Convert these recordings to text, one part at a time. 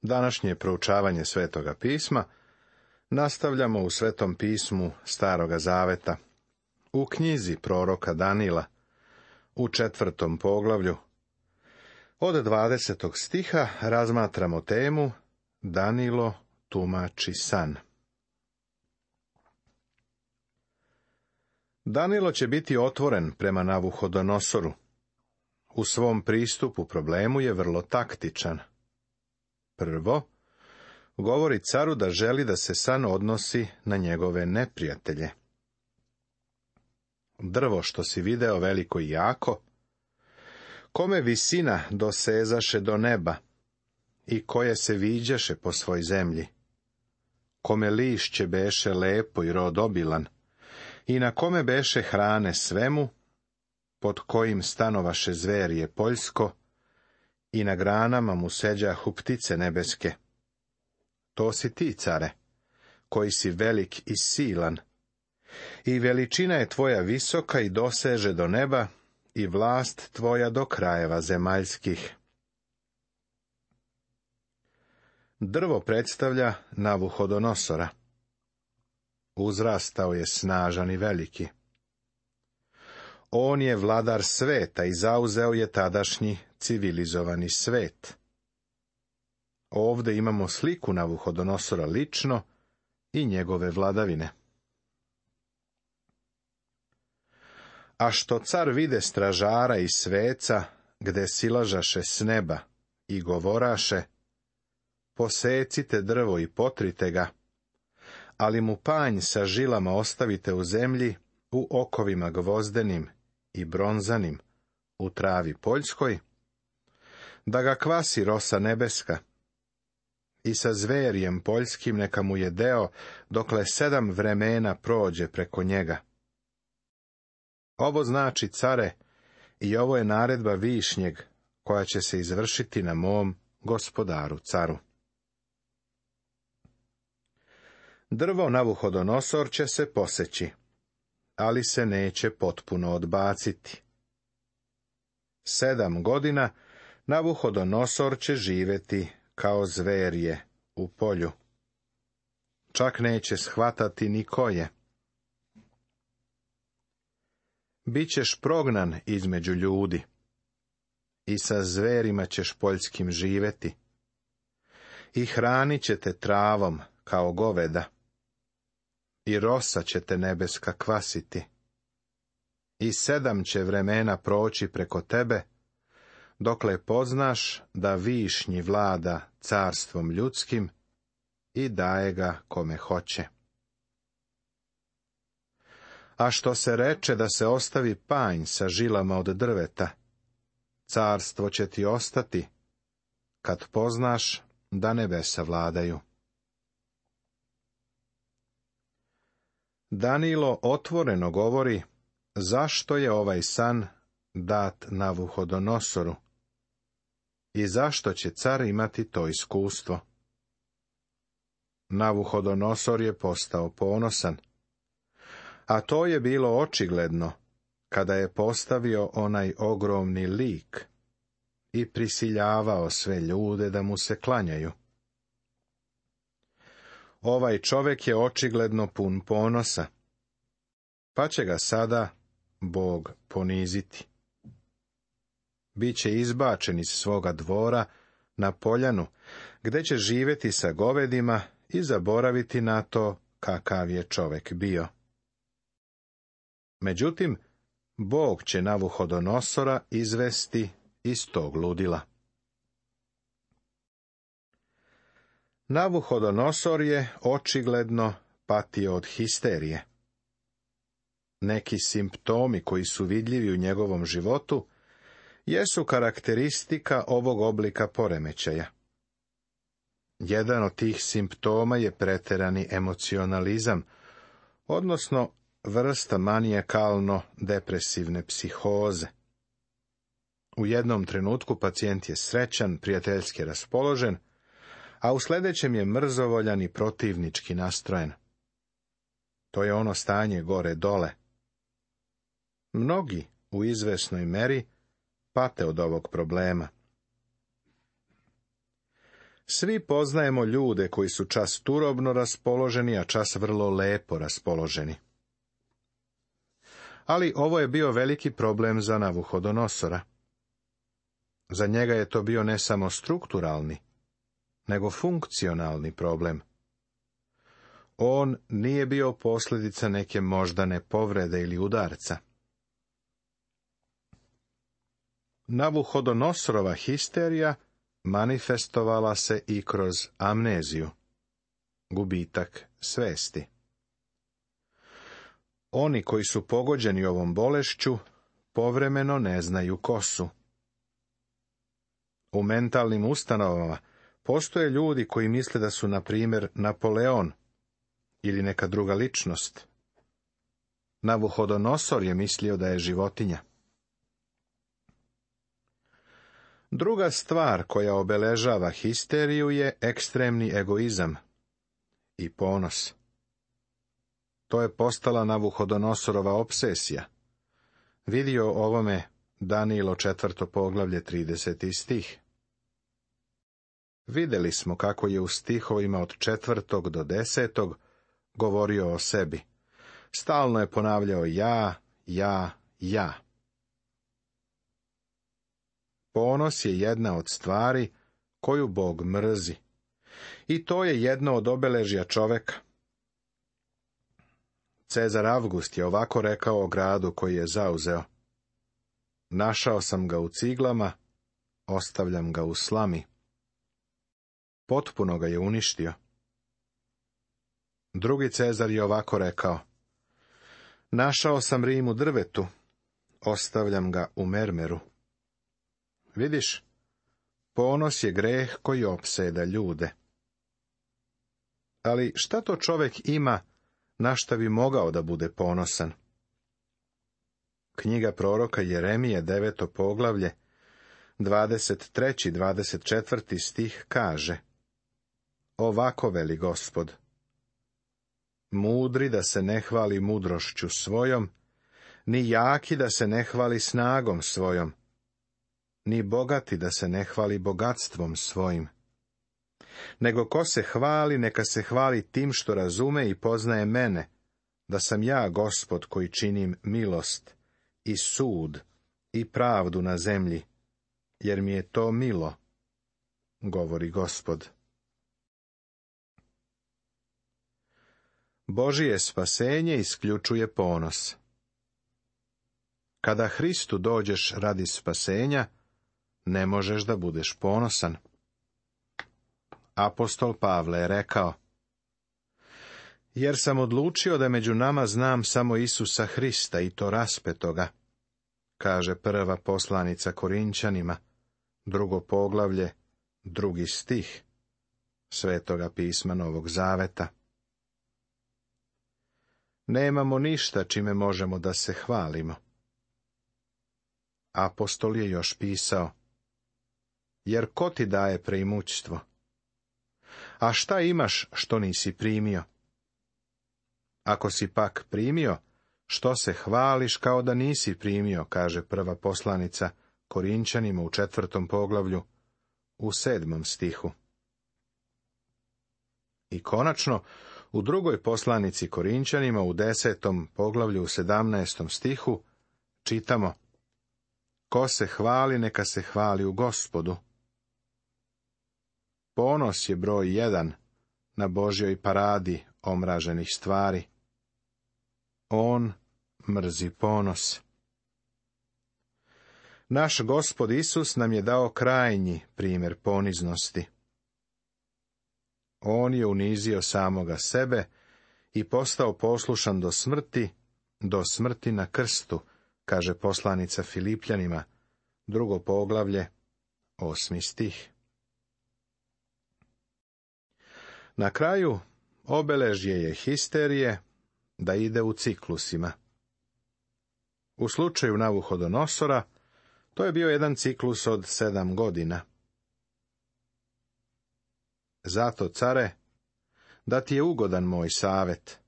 Današnje proučavanje Svetoga pisma nastavljamo u Svetom pismu Staroga zaveta, u knjizi proroka Danila, u 4. poglavlju. Od 20. stiha razmatramo temu Danilo tumači san. Danilo će biti otvoren prema Navuhodonosoru. U svom pristupu problemu je vrlo taktičan. Prvo, govori caru da želi da se san odnosi na njegove neprijatelje. Drvo što si video veliko i jako, kome visina dosezaše do neba i koje se viđaše po svoj zemlji, kome lišće beše lepo i rod obilan, i na kome beše hrane svemu, pod kojim stanovaše zverje poljsko, i na granama mu seđahu ptice nebeske. To si ti, care, koji si velik i silan, i veličina je tvoja visoka i doseže do neba, i vlast tvoja do krajeva zemaljskih. Drvo predstavlja Navuhodonosora. Uzrastao je snažan i veliki. On je vladar sveta i zauzeo je tadašnji civilizovani svet. Ovde imamo sliku Navuhodonosora lično i njegove vladavine. A što car vide stražara i sveca, gde silažaše s neba i govoraše, posecite drvo i potrite ga, ali mu panj sa žilama ostavite u zemlji, u okovima gvozdenim i bronzanim, u travi poljskoj, da ga kvasi rosa nebeska, i sa zverjem poljskim neka mu je deo, dokle 7 vremena prođe preko njega. Ovo znači, care, i ovo je naredba višnjeg, koja će se izvršiti na mom gospodaru caru. Drvo Navuhodonosor će se poseći, ali se neće potpuno odbaciti. 7 godina Navuhodonosor će živeti kao zverje u polju. Čak neće shvatati ni ko je. Bićeš prognan između ljudi i sa zverima ćeš poljskim živeti i hranit će te travom kao goveda i rosa će te nebeska kvasiti i 7 će vremena proći preko tebe, dokle poznaš da višnji vlada carstvom ljudskim i daje ga kome hoće. A što se reče da se ostavi panj sa žilama od drveta, carstvo će ti ostati, kad poznaš da nebesa vladaju. Danilo otvoreno govori zašto je ovaj san dat Navuhodonosoru i zašto će car imati to iskustvo. Navuhodonosor je postao ponosan, a to je bilo očigledno kada je postavio onaj ogromni lik i prisiljavao sve ljude da mu se klanjaju. Ovaj čovjek je očigledno pun ponosa, pa će ga sada Bog poniziti. Biće izbačen iz svoga dvora na poljanu, gde će živjeti sa govedima i zaboraviti na to kakav je čovjek bio. Međutim, Bog će Navuhodonosora izvesti iz tog ludila. Navuhodonosor je očigledno patio od histerije. Neki simptomi koji su vidljivi u njegovom životu jesu karakteristika ovog oblika poremećaja. Jedan od tih simptoma je preterani emocionalizam, odnosno vrsta manijakalno-depresivne psihoze. U jednom trenutku pacijent je srećan, prijateljski raspoložen, a u sljedećem je mrzovoljan i protivnički nastrojen. To je ono stanje gore-dole. Mnogi u izvesnoj meri pate od ovog problema. Svi poznajemo ljude koji su čas turobno raspoloženi, a čas vrlo lepo raspoloženi. Ali ovo je bio veliki problem za Navuhodonosora. Za njega je to bio ne samo strukturalni, nego funkcionalni problem. On nije bio posljedica neke moždane povrede ili udarca. Navuhodonosorova histerija manifestovala se i kroz amneziju, gubitak svesti. Oni koji su pogođeni ovom bolešću povremeno ne znaju ko su. U mentalnim ustanovama postoje ljudi koji misle da su, na primjer, Napoleon ili neka druga ličnost. Navuhodonosor je mislio da je životinja. Druga stvar koja obeležava histeriju je ekstremni egoizam i ponos. To je postala Navuhodonosorova obsesija. Vidi o ovome Danilo 4. poglavlje 30. stih. Vidjeli smo kako je u stihovima od 4. do 10. govorio o sebi. Stalno je ponavljao ja. Ponos je jedna od stvari koju Bog mrzi. I to je jedno od obeležja čoveka. Cezar Avgust je ovako rekao o gradu koji je zauzeo. Našao sam ga u ciglama, ostavljam ga u slami. Potpuno ga je uništio. Drugi Cezar je ovako rekao. Našao sam Rim u drvetu, ostavljam ga u mermeru. Vidiš, ponos je greh koji opseda ljude. Ali šta to čovjek ima na šta bi mogao da bude ponosan? Knjiga proroka Jeremije 9. poglavlje 23. 24. stih kaže: Ovako veli Gospod: Mudri da se ne hvali mudrošću svojom, ni jaki da se ne hvali snagom svojom, ni bogati da se ne hvali bogatstvom svojim. Nego ko se hvali, neka se hvali tim što razume i poznaje mene, da sam ja Gospod koji činim milost i sud i pravdu na zemlji, jer mi je to milo, govori Gospod. Božije spasenje isključuje ponos. Kada Hristu dođeš radi spasenja, ne možeš da budeš ponosan. Apostol Pavle je rekao: Jer sam odlučio da među nama znam samo Isusa Hrista i to raspetoga, kaže prva poslanica Korinćanima, 2. poglavlje, 2. stih Svetoga pisma Novog Zaveta. Nemamo ništa čime možemo da se hvalimo. Apostol je još pisao: Jer ko ti daje preimućstvo? A šta imaš što nisi primio? Ako si pak primio, što se hvališ kao da nisi primio, kaže prva poslanica Korinćanima u 4. poglavlju, u 7. stihu. I konačno, u 2. poslanici Korinćanima u 10. poglavlju u 17. stihu čitamo: Ko se hvali, neka se hvali u Gospodu. Ponos je broj 1 na Božjoj paradi omraženih stvari. On mrzi ponos. Naš Gospod Isus nam je dao krajnji primjer poniznosti. On je unizio samoga sebe i postao poslušan do smrti na krstu, kaže poslanica Filipljanima, 2. poglavlje, 8. stih. Na kraju, obeležje je histerije da ide u ciklusima. U slučaju Navuhodonosora, to je bio jedan ciklus od 7 godina. Zato, care, da ti je ugodan moj savjet.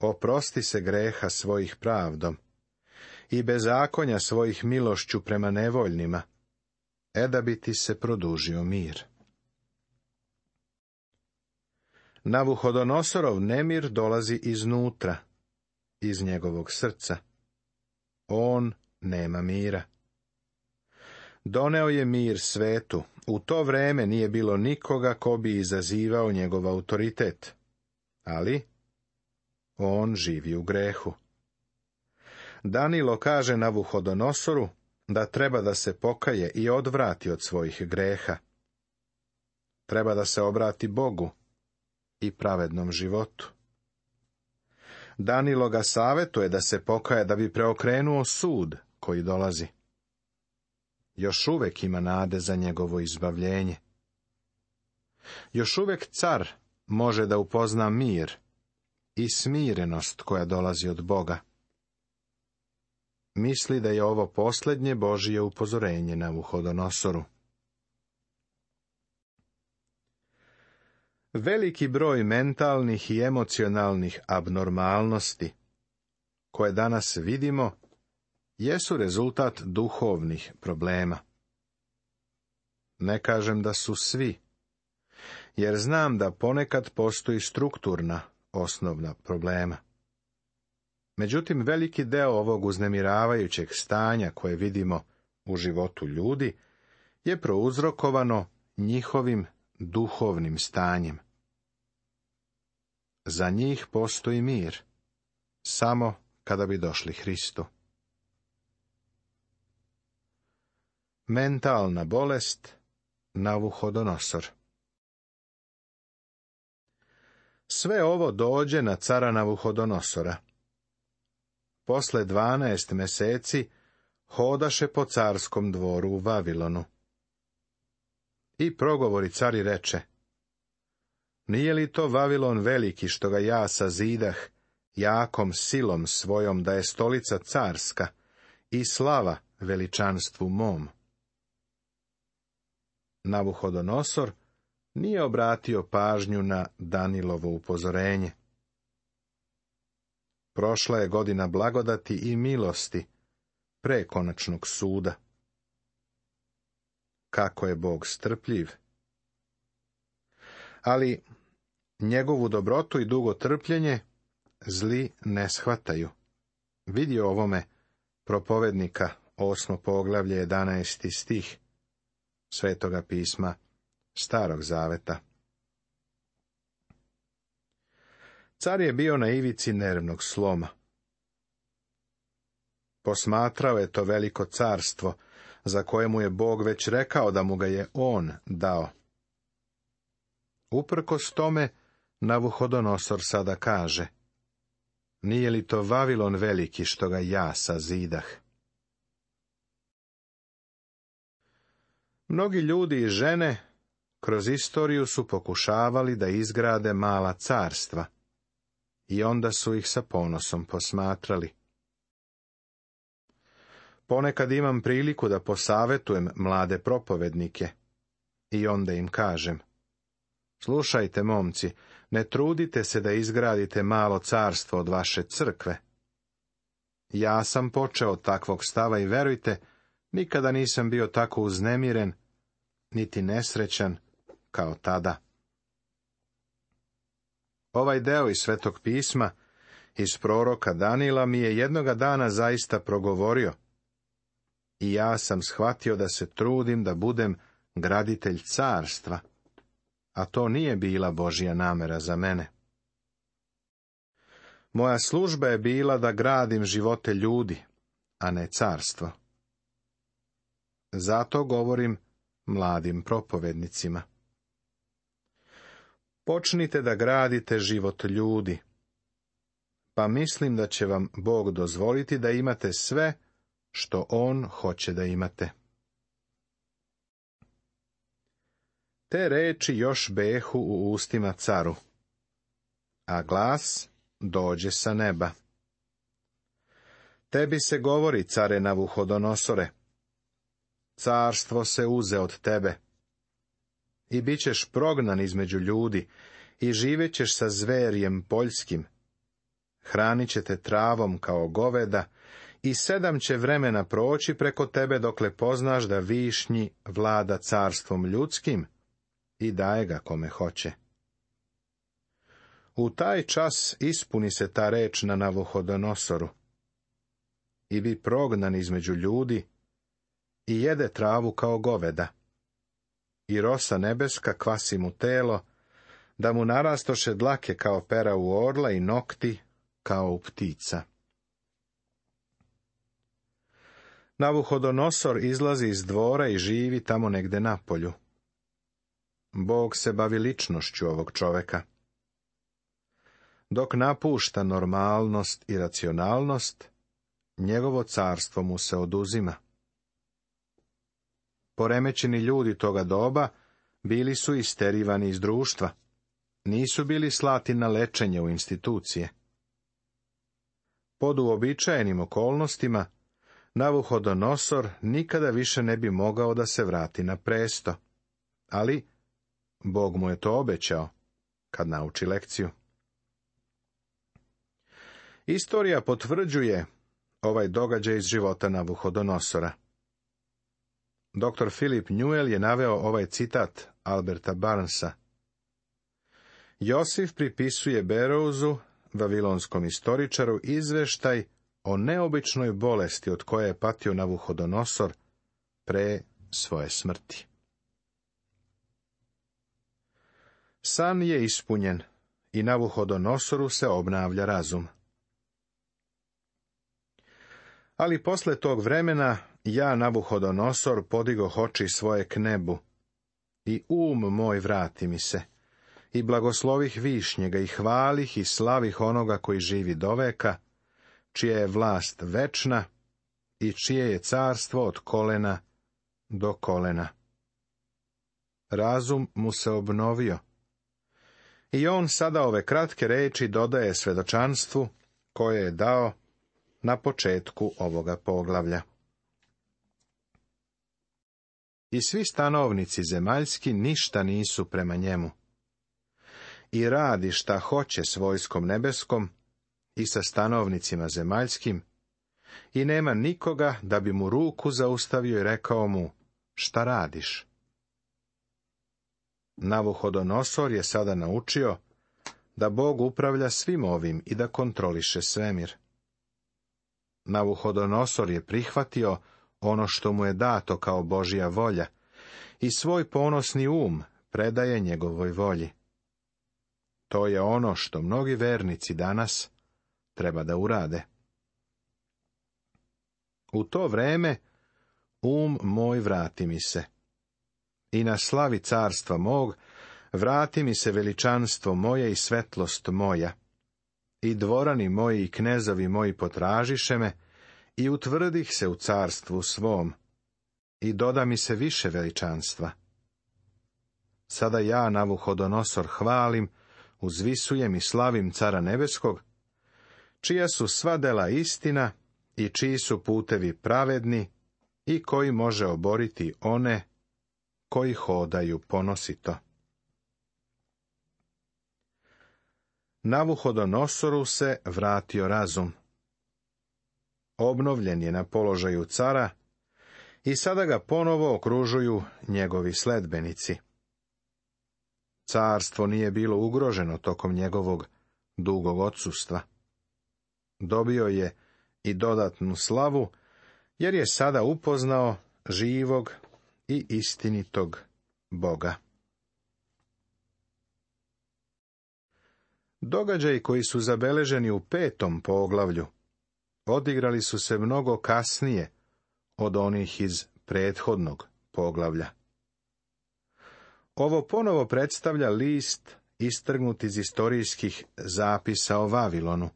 Oprosti se greha svojih pravdom i bezakonja svojih milošću prema nevoljnima, da bi ti se produžio mir. Navuhodonosorov nemir dolazi iznutra, iz njegovog srca. On nema mira. Doneo je mir svetu. U to vreme nije bilo nikoga ko bi izazivao njegov autoritet. Ali on živi u grehu. Danilo kaže Navuhodonosoru da treba da se pokaje i odvrati od svojih greha. Treba da se obrati Bogu i pravednom životu. Danilo ga savjetuje da se pokaje da bi preokrenuo sud koji dolazi. Još uvek ima nade za njegovo izbavljenje. Još uvek car može da upozna mir i smirenost koja dolazi od Boga. Misli da je ovo posljednje Božje upozorenje Navuhodonosoru. Veliki broj mentalnih i emocionalnih abnormalnosti, koje danas vidimo, jesu rezultat duhovnih problema. Ne kažem da su svi, jer znam da ponekad postoji strukturna, osnovna problema. Međutim, veliki deo ovog uznemiravajućeg stanja koje vidimo u životu ljudi je prouzrokovano njihovim duhovnim stanjem. Za njih postoji mir, samo kada bi došli Hristu. Mentalna bolest Navuhodonosor. Sve ovo dođe na cara Navuhodonosora. Posle 12 meseci hodaše po carskom dvoru u Vavilonu. I progovori car i reče: Nije li to Vavilon veliki što ga ja sazidah jakom silom svojom da je stolica carska i slava veličanstvu mom? Navuhodonosor nije obratio pažnju na Danilovo upozorenje. Prošla je godina blagodati i milosti pre konačnog suda. Kako je Bog strpljiv! Ali njegovu dobrotu i dugo trpljenje zli ne shvataju. Vidi o ovome propovednika 8. poglavlje 11. stih Svetoga pisma Starog zaveta. Car je bio na ivici nervnog sloma. Posmatrao je to veliko carstvo, za koje mu je Bog već rekao da mu ga je on dao. Uprkos tome, Navuhodonosor sada kaže: Nije li to Vavilon veliki što ga ja sazidah? Mnogi ljudi i žene kroz istoriju su pokušavali da izgrade mala carstva i onda su ih sa ponosom posmatrali. Ponekad imam priliku da posavetujem mlade propovednike i onda im kažem: Slušajte, momci, ne trudite se da izgradite malo carstvo od vaše crkve. Ja sam počeo od takvog stava i verujte, nikada nisam bio tako uznemiren, niti nesrećan kao tada. Ovaj deo iz Svetog pisma, iz proroka Danila, mi je jednoga dana zaista progovorio. I ja sam shvatio da se trudim da budem graditelj carstva, a to nije bila Božja namera za mene. Moja služba je bila da gradim živote ljudi, a ne carstvo. Zato govorim mladim propovednicima: Počnite da gradite život ljudi, pa mislim da će vam Bog dozvoliti da imate sve što On hoće da imate. Te reči još behu u ustima caru, a glas dođe sa neba. Tebi se govori, care Navuhodonosore, carstvo se uze od tebe i bit ćeš prognan između ljudi i živećeš sa zverjem poljskim. Hranit će te travom kao goveda i 7 će vremena proći preko tebe dokle poznaš da višnji vlada carstvom ljudskim i daje ga kome hoće. U taj čas ispuni se ta reč na Navuhodonosoru. I bi prognan između ljudi i jede travu kao goveda. I rosa nebeska kvasi mu telo, da mu narastoše dlake kao pera u orla i nokti kao u ptica. Navuhodonosor izlazi iz dvora i živi tamo negde napolju. Bog se bavi ličnošću ovog čoveka. Dok napušta normalnost i racionalnost, njegovo carstvo mu se oduzima. Poremećeni ljudi toga doba bili su isterivani iz društva. Nisu bili slati na lečenje u institucije. Pod uobičajenim okolnostima, Navuhodonosor nikada više ne bi mogao da se vrati na presto, ali Bog mu je to obećao, kad nauči lekciju. Istorija potvrđuje ovaj događaj iz života Navuhodonosora. Dr. Philip Newell je naveo ovaj citat Alberta Barnesa. Josif pripisuje Berrouzu, vavilonskom istoričaru, izveštaj o neobičnoj bolesti od koje je patio Navuhodonosor pre svoje smrti. San je ispunjen i Navuhodonosoru se obnavlja razum. Ali posle tog vremena ja, Navuhodonosor, podigoh oči svoje k nebu, i moj vrati mi se, i blagoslovih višnjega, i hvalih i slavih onoga koji živi doveka, čija je vlast večna i čije je carstvo od kolena do kolena. Razum mu se obnovio. I on sada ove kratke reči dodaje svedočanstvu koje je dao na početku ovoga poglavlja. I svi stanovnici zemaljski ništa nisu prema njemu. I radi šta hoće s vojskom nebeskom i sa stanovnicima zemaljskim, i nema nikoga da bi mu ruku zaustavio i rekao mu, šta radiš? Navuhodonosor je sada naučio da Bog upravlja svim ovim i da kontroliše svemir. Navuhodonosor je prihvatio ono što mu je dato kao Božja volja i svoj ponosni predaje njegovoj volji. To je ono što mnogi vernici danas treba da urade. U to vreme moj vrati mi se, i na slavi carstva mog vrati mi se veličanstvo moje i svetlost moja, i dvorani moji i knezovi moji potražiše me, i utvrdih se u carstvu svom, i doda mi se više veličanstva. Sada ja, Navuhodonosor, hvalim, uzvisujem i slavim cara nebeskog, čija su sva dela istina i čiji su putevi pravedni i koji može oboriti one koji hodaju ponosito. Navuhodonosoru se vratio razum. Obnovljen je na položaju cara i sada ga ponovo okružuju njegovi sledbenici. Carstvo nije bilo ugroženo tokom njegovog dugog odsustva. Dobio je i dodatnu slavu, jer je sada upoznao živog i istinitog Boga. Događaji koji su zabeleženi u 5. poglavlju odigrali su se mnogo kasnije od onih iz prethodnog poglavlja. Ovo ponovo predstavlja list istrgnut iz istorijskih zapisa o Vavilonu.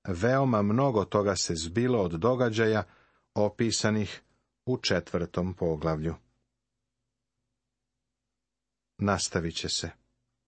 Veoma mnogo toga se zbilo od događaja opisanih u 4. poglavlju. Nastavit će se.